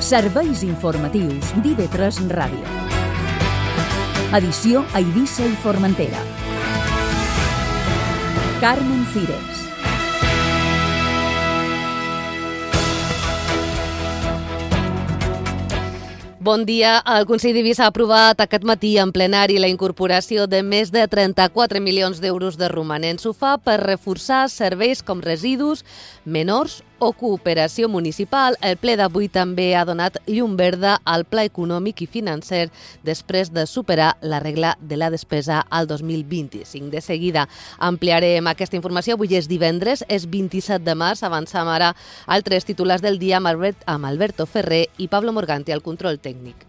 Serveis informatius d'IV3 Ràdio. Edició a Eivissa i Formentera. Carmen Cires. Bon dia. El Consell d'Eivissa ha aprovat aquest matí en plenari la incorporació de més de 34 milions d'euros de romanents. Ho fa per reforçar serveis com residus, menors o cooperació municipal. El ple d'avui també ha donat llum verda al pla econòmic i financer després de superar la regla de la despesa al 2025. De seguida ampliarem aquesta informació. Avui és divendres, és 27 de març. Avançam ara altres titulars del dia amb Alberto Ferrer i Pablo Morganti al control tècnic.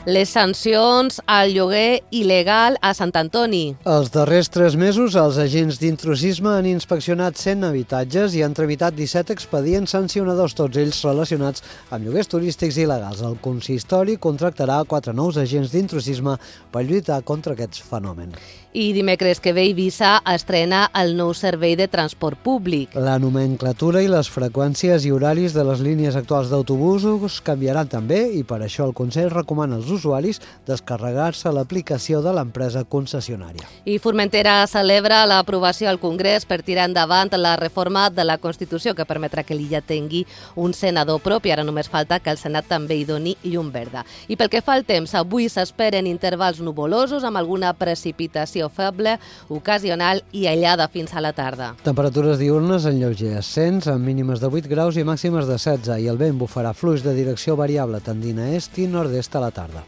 Les sancions al lloguer il·legal a Sant Antoni. Els darrers 3 mesos, els agents d'intrusisme han inspeccionat 100 habitatges i han tramitat 17 expedients sancionadors, tots ells relacionats amb lloguers turístics il·legals. El consistori contractarà 4 nous agents d'intrusisme per lluitar contra aquests fenòmens. I dimecres que ve Eivissa estrena el nou servei de transport públic. La nomenclatura i les freqüències i horaris de les línies actuals d'autobusos canviaran també i per això el Consell recomana als usuaris descarregar-se l'aplicació de l'empresa concessionària. I Formentera celebra l'aprovació al Congrés per tirar endavant la reforma de la Constitució que permetrà que l'illa tingui un senador propi. Ara només falta que el Senat també hi doni llum verda. I pel que fa al temps, avui s'esperen intervals nuvolosos amb alguna precipitació feble, ocasional i aïllada fins a la tarda. Temperatures diurnes en lleuger ascens, amb mínimes de 8 graus i màximes de 16, i el vent bufarà fluix de direcció variable tendint a est i nord-est a la tarda.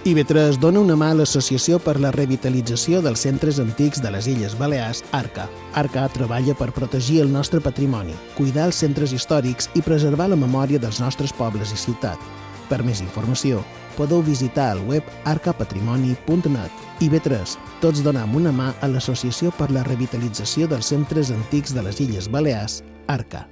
IV3 dona una mà a l'Associació per la Revitalització dels Centres Antics de les Illes Balears, ARCA. ARCA treballa per protegir el nostre patrimoni, cuidar els centres històrics i preservar la memòria dels nostres pobles i ciutat. Per més informació, podeu visitar el web arcapatrimoni.net. IV3, tots donem una mà a l'Associació per la Revitalització dels Centres Antics de les Illes Balears, ARCA.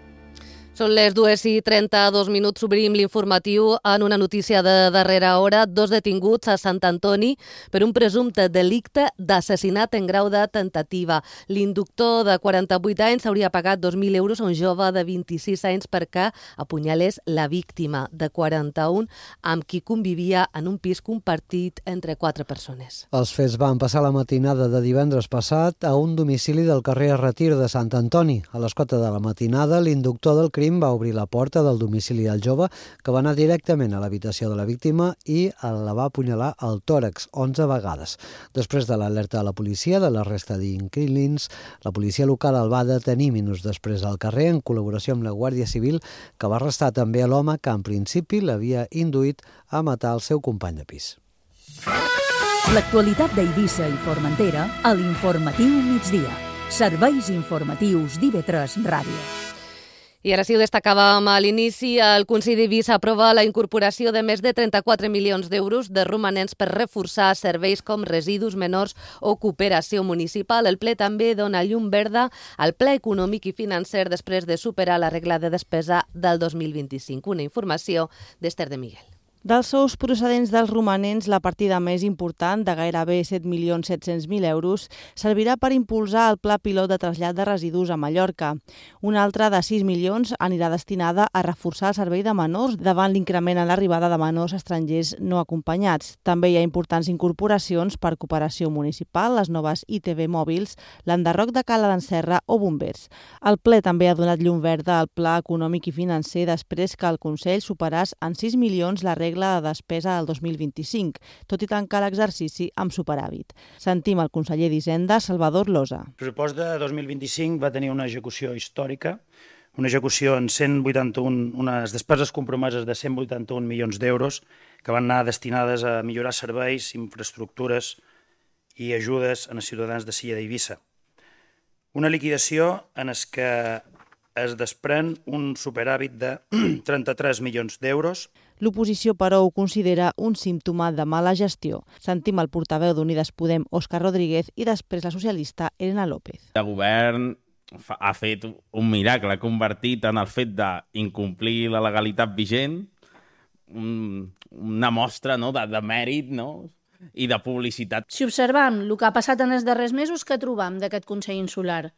Són les 2:32. Obrim l'informatiu en una notícia de darrera hora. 2 detinguts a Sant Antoni per un presumpte delicte d'assassinat en grau de tentativa. L'inductor de 48 anys hauria pagat 2.000 euros a un jove de 26 anys perquè apunyalés la víctima de 41 amb qui convivia en un pis compartit entre 4 persones. Els fets van passar la matinada de divendres passat a un domicili del carrer Retir de Sant Antoni. A les 4 de la matinada, l'inductor del crim va obrir la porta del domicili del jove, que va anar directament a l'habitació de la víctima i la va apunyalar al tòrax 11 vegades. Després de l'alerta de la policia de la resta d'inquilins, la policia local el va detenir minuts després al carrer en col·laboració amb la Guàrdia Civil, que va arrestar també a l'home que en principi l'havia induït a matar el seu company de pis. L'actualitat d'Eivissa i Formentera a l'informatiu migdia. Serveis informatius d'IV3 Ràdio. I ara sí, ho destacàvem a l'inici, el Consell d'Eivissa aprova la incorporació de més de 34 milions d'euros de romanents per reforçar serveis com residus menors o cooperació municipal. El ple també dona llum verda al pla econòmic i financer després de superar la regla de despesa del 2025. Una informació d'Ester de Miguel. Dels sous procedents dels romanents, la partida més important, de gairebé 7.700.000 euros, servirà per impulsar el pla pilot de trasllat de residus a Mallorca. Una altra de 6 milions anirà destinada a reforçar el servei de menors davant l'increment en l'arribada de menors estrangers no acompanyats. També hi ha importants incorporacions per cooperació municipal, les noves ITV mòbils, l'enderroc de Cala d'en Serra o bombers. El ple també ha donat llum verda al pla econòmic i financer després que el Consell superàs en 6 milions la regla de despesa del 2025, tot i tancar l'exercici amb superàvit. Sentim el conseller d'Hisenda, Salvador Losa. El pressupost de 2025 va tenir una execució històrica, una execució en unes despeses compromeses de 181 milions d'euros que van anar destinades a millorar serveis, infraestructures i ajudes als ciutadans de l'illa d'Eivissa. Una liquidació en què es desprèn un superàvit de 33 milions d'euros. L'oposició, però, ho considera un símptoma de mala gestió. Sentim el portaveu d'Unides Podem, Òscar Rodríguez, i després la socialista Elena López. El govern ha fet un miracle, ha convertit en el fet d'incomplir la legalitat vigent una mostra, no, de mèrit, no? i de publicitat. Si observam el que ha passat en els darrers mesos, què trobam d'aquest Consell Insular?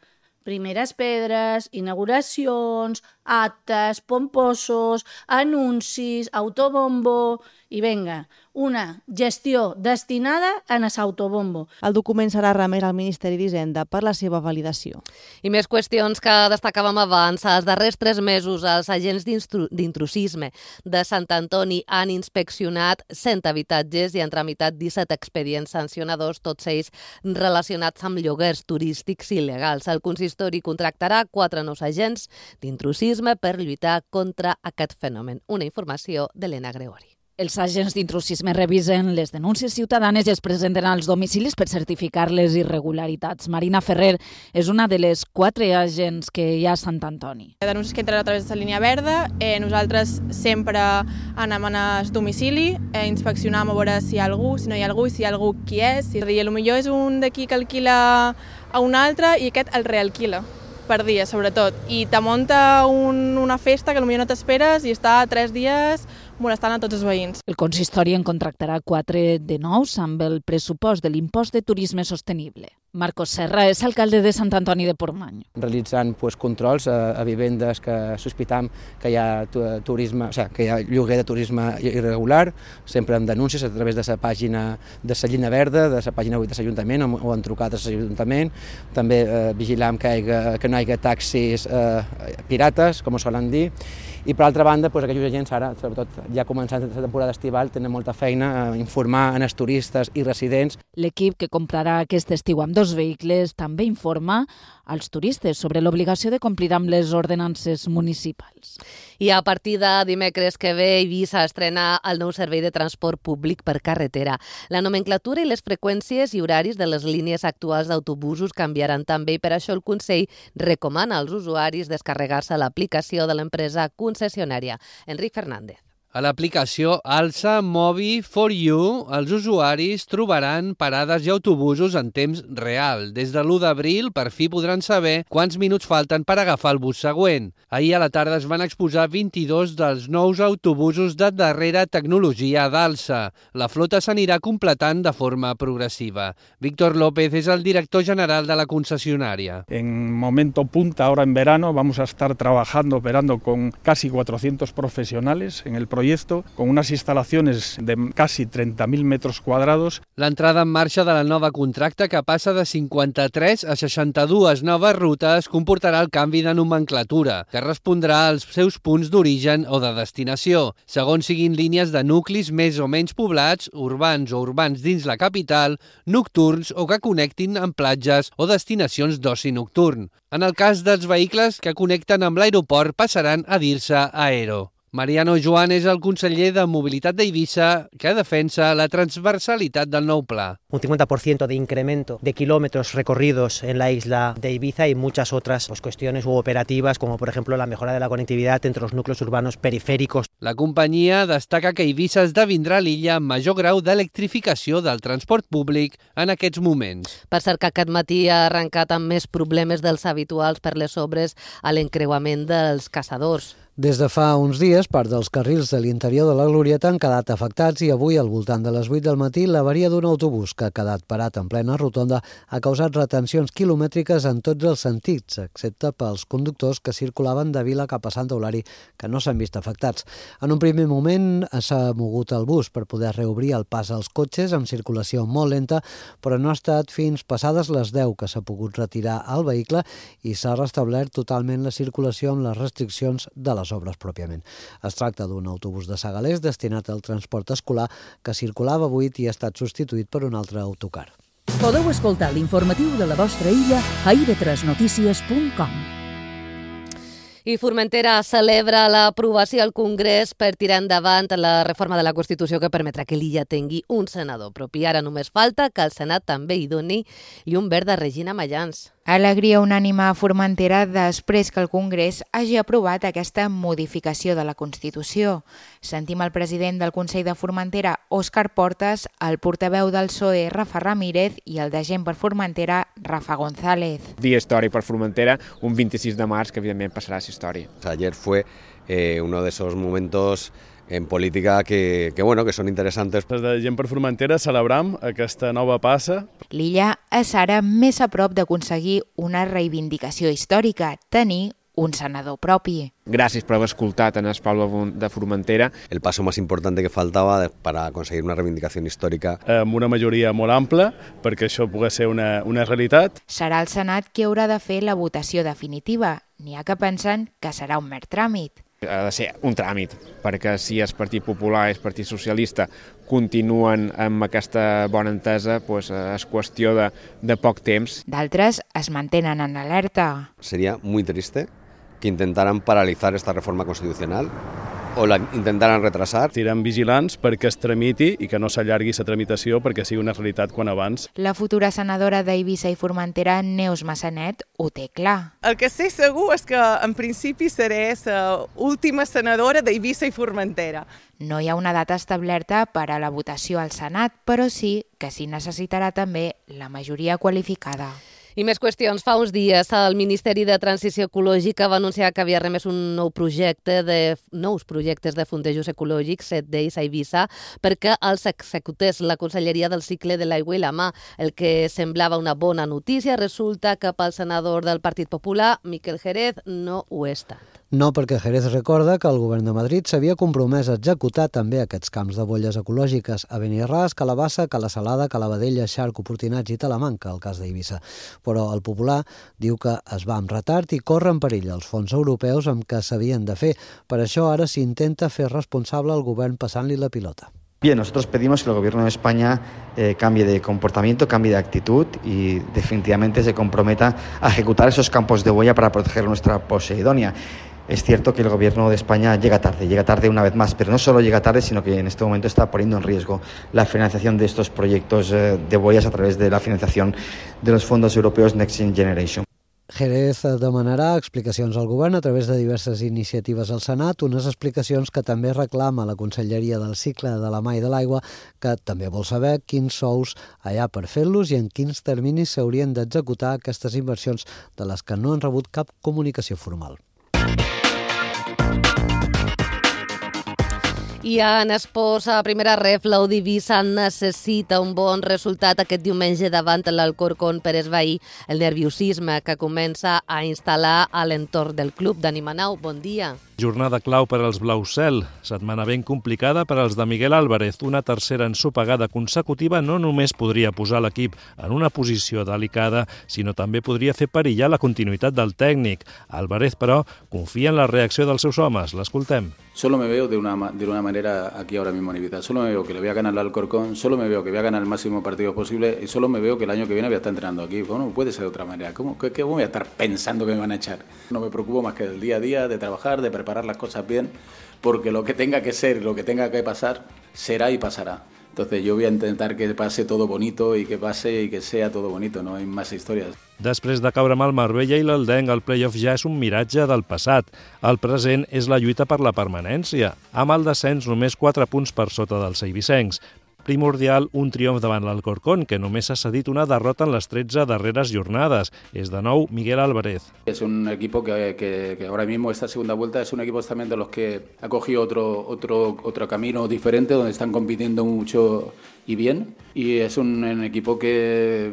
Primeres pedres, inauguracions, actes, pomposos, anuncis, autobombo i vinga, una gestió destinada a l'autobombo. El document serà remès al Ministeri d'Hisenda per la seva validació. I més qüestions que destacàvem abans. Els darrers 3 mesos els agents d'intrusisme de Sant Antoni han inspeccionat 100 habitatges i han tramitat 17 expedients sancionadors, tots ells relacionats amb lloguers turístics il·legals. El consistori contractarà 4 nous agents d'intrusisme per lluitar contra aquest fenomen. Una informació d'Helena Gregori. Els agents d'intrusisme revisen les denúncies ciutadanes i es presenten als domicilis per certificar les irregularitats. Marina Ferrer és una de les 4 agents que hi ha a Sant Antoni. Denúncies que entren a través de la línia verda. Nosaltres sempre anem al domicili, inspeccionam a veure si hi ha algú, si no hi ha algú, i si hi ha algú, qui és. Potser és un d'aquí que alquila a un altre i aquest el realquila per dia, sobretot. I te munta una festa que potser no t'esperes i està 3 dies molestant a tots els veïns. El consistori en contractarà 4 de nous amb el pressupost de l'impost de turisme sostenible. Marcos Serra és alcalde de Sant Antoni de Portmany. Realitzant controls a vivendes que sospitam que hi ha turisme, que hi ha lloguer de turisme irregular, sempre amb denúncies a través de la pàgina de la línia verda, de la pàgina web de l'Ajuntament o en trucades a l'Ajuntament. També vigilam que no hi hagi taxis pirates, com ho solen dir. I per altra banda, aquells agents ara, sobretot ja començant la temporada estival, tenen molta feina a informar als turistes i residents. L'equip que comprarà aquest estiu amb 2 vehicles també informa als turistes sobre l'obligació de complir amb les ordenances municipals. I a partir de dimecres que ve, Eivissa estrena el nou servei de transport públic per carretera. La nomenclatura i les freqüències i horaris de les línies actuals d'autobusos canviaran també i per això el Consell recomana als usuaris descarregar-se l'aplicació de l'empresa concessionària. Enric Fernández. A l'aplicació Alsa Mobi for You, els usuaris trobaran parades i autobusos en temps real. Des de l'1 d'abril, per fi podran saber quants minuts falten per agafar el bus següent. Ahir a la tarda es van exposar 22 dels nous autobusos de darrera tecnologia d'Alsa. La flota s'anirà completant de forma progressiva. Víctor López és el director general de la concessionària. En momento punta, ahora en verano, vamos a estar trabajando, operando con casi 400 profesionales en el proyecto, con unas instalaciones de casi 30.000 metros cuadrados. L'entrada en marxa de la nova contracta, que passa de 53 a 62 noves rutes, comportarà el canvi de nomenclatura, que respondrà als seus punts d'origen o de destinació, segons siguin línies de nuclis més o menys poblats, urbans o urbans dins la capital, nocturns o que connectin amb platges o destinacions d'oci nocturn. En el cas dels vehicles que connecten amb l'aeroport, passaran a dir-se Aero. Mariano Joan és el conseller de Mobilitat d'Eivissa, que defensa la transversalitat del nou pla. Un 50% de incremento de kilómetros recorridos en la isla de Ibiza y muchas otras cuestiones operativas, como por ejemplo la mejora de la conectividad entre los núcleos urbanos periféricos. La companyia destaca que Eivissa esdevindrà l'illa amb major grau d'electrificació del transport públic en aquests moments. Per cert, que aquest matí ha arrencat amb més problemes dels habituals per les obres a l'encreuament dels caçadors. Des de fa uns dies, part dels carrils de l'interior de la Glorieta han quedat afectats i avui, al voltant de les 8 del matí, l'avaria d'un autobús que ha quedat parat en plena rotonda ha causat retencions quilomètriques en tots els sentits, excepte pels conductors que circulaven de Vila cap a Sant Eulari, que no s'han vist afectats. En un primer moment s'ha mogut el bus per poder reobrir el pas als cotxes amb circulació molt lenta, però no ha estat fins passades les 10 que s'ha pogut retirar el vehicle i s'ha restablert totalment la circulació amb les restriccions de les obres pròpiament. Es tracta d'un autobús de Segalers destinat al transport escolar que circulava buit i ha estat substituït per un altre autocar. Podeu escoltar l'informatiu de la vostra illa a ib3notícies.com. I Formentera celebra l'aprovació al Congrés per tirar endavant la reforma de la Constitució que permetrà que l'illa tingui un senador propi. Ara només falta que el Senat també hi doni llum verda a Regina Mayans. Alegria unànime a Formentera després que el Congrés hagi aprovat aquesta modificació de la Constitució. Sentim el president del Consell de Formentera, Òscar Portas, el portaveu del PSOE, Rafa Ramírez, i el de Gent per Formentera, Rafa González. Dia històric per Formentera, un 26 de març que evidentment passarà a la història. Ayer fue uno de esos momentos en política que són interessants. Des de Gent per Formentera celebram aquesta nova passa. L'illa és ara més a prop d'aconseguir una reivindicació històrica, tenir un senador propi. Gracias por haber escoltat en el poble de Formentera. El paso más importante que faltaba para conseguir una reivindicación histórica. Amb una majoria molt ampla, perquè això pugui ser una realitat. Serà el Senat qui haurà de fer la votació definitiva. N'hi ha que pensen que serà un mer tràmit. Ha de ser un tràmit, perquè si el Partit Popular i el Partit Socialista continuen amb aquesta bona entesa, doncs és qüestió de poc temps. D'altres es mantenen en alerta. Sería muy triste que intentaran paralizar esta reforma constitucional o la intentaran retrasar. Estarem vigilants perquè es tramiti i que no s'allargui la tramitació perquè sigui una realitat quan abans. La futura senadora d'Eivissa i Formentera, Neus Massanet, ho té clar. El que sé segur és que en principi seré l'última senadora d'Eivissa i Formentera. No hi ha una data establerta per a la votació al Senat, però sí que s'hi necessitarà també la majoria qualificada. I més qüestions. Fa uns dies el Ministeri de Transició Ecològica va anunciar que havia remès un nous projectes de fondejos ecològics, 7 d'ells a Eivissa, perquè els executés la Conselleria del Cicle de l'Aigua i la Mà. El que semblava una bona notícia resulta que pel senador del Partit Popular, Miquel Jerez, no ho ha estat. No, perquè Jerez recorda que el govern de Madrid s'havia compromès a executar també aquests camps de bolles ecològiques a Benirràs, Calabassa, Cala Salada, Calavadella, Xarc, Oportinats i Talamanca, el cas d'Eivissa. Però el Popular diu que es va amb retard i corre en perill els fons europeus amb què s'havien de fer. Per això ara s'intenta fer responsable el govern passant-li la pilota. Bien, nosotros pedimos que el Gobierno de España cambie de comportamiento, cambie de actitud y definitivamente se comprometa a ejecutar esos campos de boya para proteger nuestra Poseidonia. Es cierto que el Gobierno de España llega tarde una vez más, pero no solo llega tarde, sino que en este momento está poniendo en riesgo la financiación de estos proyectos de boyas a través de la financiación de los fondos europeos Next Generation. Jerez demanarà explicacions al govern a través de diverses iniciatives al Senat, unes explicacions que també reclama la Conselleria del Cicle de la Mà i de l'Aigua, que també vol saber quins sous hi ha per fer-los i en quins terminis s'haurien d'executar aquestes inversions de les que no han rebut cap comunicació formal. I en esports, a primera ref, l'Eivissa necessita un bon resultat aquest diumenge davant l'Alcorcón per esvair el nerviosisme que comença a instal·lar a l'entorn del club. Dani Manau, bon dia. Jornada clau per als Blau-Cel. Setmana ben complicada per als de Miguel Álvarez. Una tercera ensopegada consecutiva no només podria posar l'equip en una posició delicada, sinó també podria fer perillar la continuïtat del tècnic. Álvarez, però, confia en la reacció dels seus homes. L'escoltem. Solo me veo de una manera aquí ahora mismo en Ibiza. Solo me veo que le voy a ganar al Alcorcón, solo me veo que voy a ganar el máximo partido posible y solo me veo que el año que viene voy a estar entrenando aquí. Bueno, puede ser de otra manera. ¿Qué voy a estar pensando que me van a echar? No me preocupo más que del día a día, de trabajar, de preparar las cosas bien, porque lo que tenga que ser, lo que tenga que pasar, será y pasará. Entonces yo voy a intentar que pase todo bonito y que pase y que sea todo bonito, no hay más historias. Després de caure amb el Marbella i l'Eldenc, el play-off ja és un miratge del passat. El present és la lluita per la permanència, amb el descens només 4 punts per sota dels eivissencs. Primordial un triomf davant l'Alcorcón, que només ha cedit una derrota en les 13 darreres jornades. És de nou Miguel Álvarez. Es un equipo que ahora mismo, esta segunda vuelta, es un equipo también de los que ha cogido otro camino diferente, donde están compitiendo mucho y bien. Y es un equipo que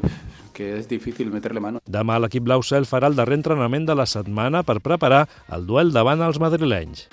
és difícil meterle mano. Demà l'equip Blau-Cel farà el darrer entrenament de la setmana per preparar el duel davant els madrilenys.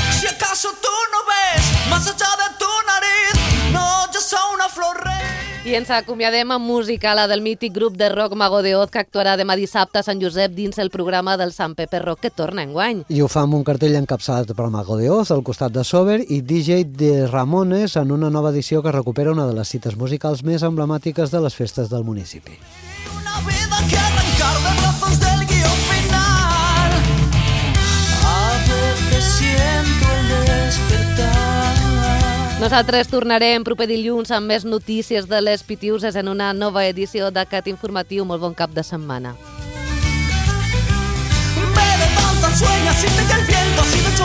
Si acaso tú no ves más allá de tu nariz, no, yo soy una flor rey. I ens acomiadem amb música, la del mític grup de rock Mago de Oz, que actuarà demà dissabte a Sant Josep dins el programa del Sant Pepe Rock, que torna enguany. I ho fa amb un cartell encapçalat per Mago de Oz, al costat de Sober, i DJ de Ramones en una nova edició que recupera una de les cites musicals més emblemàtiques de les festes del municipi. Una vida que arrancar de brazos del guión final. A veces siento el despertar. Nosaltres tornarem proper dilluns amb més notícies de les Pitiuses en una nova edició d'aquest informatiu. Molt bon cap de setmana. Me levantas, sueñas, siente que el viento ha sido hecho